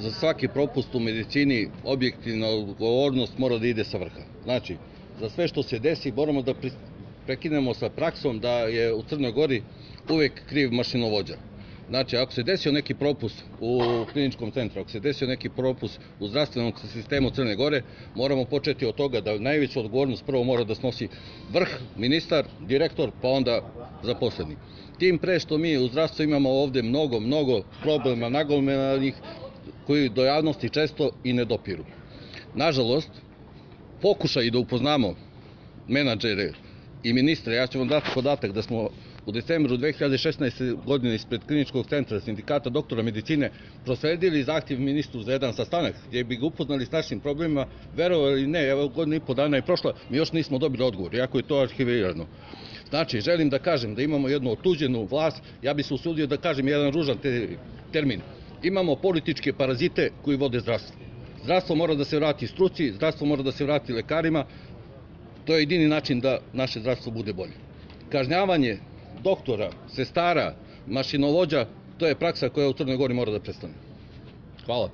za svaki propust u medicini objektivna odgovornost mora da ide sa vrha. Znači, za sve što se desi moramo da prekinemo sa praksom da je u Crnoj Gori uvek kriv mašinovođa. Znači, ako se desio neki propust u kliničkom centru, ako se desio neki propust u zdravstvenom sistemu Crne Gore, moramo početi od toga da najveću odgovornost prvo mora da snosi vrh, ministar, direktor, pa onda zaposleni. Tim pre što mi u zdravstvu imamo ovde mnogo problema nagomilanih koji do javnosti često i ne dopiru. Nažalost, pokušaj da upoznamo menadžere i ministre, ja ću vam dati podatak da smo u decembru 2016. godine ispred kliničkog centra sindikata doktora medicine prosledili zahtjev ministru za jedan sastanak gdje bi ga upoznali s našim problemima, verovali ili ne, evo godinu i po dana je prošla, mi još nismo dobili odgovor, iako je to arhivirano. Znači, želim da kažem da imamo jednu otuđenu vlast, ja bih se usudio da kažem jedan ružan termin. Imamo političke parazite koji vode zdravstvo. Zdravstvo mora da se vrati struci, zdravstvo mora da se vrati lekarima, to je jedini način da naše zdravstvo bude bolje. Kažnjavanje doktora, sestara, mašinovođa, to je praksa koja u Crnoj Gori mora da prestane. Hvala.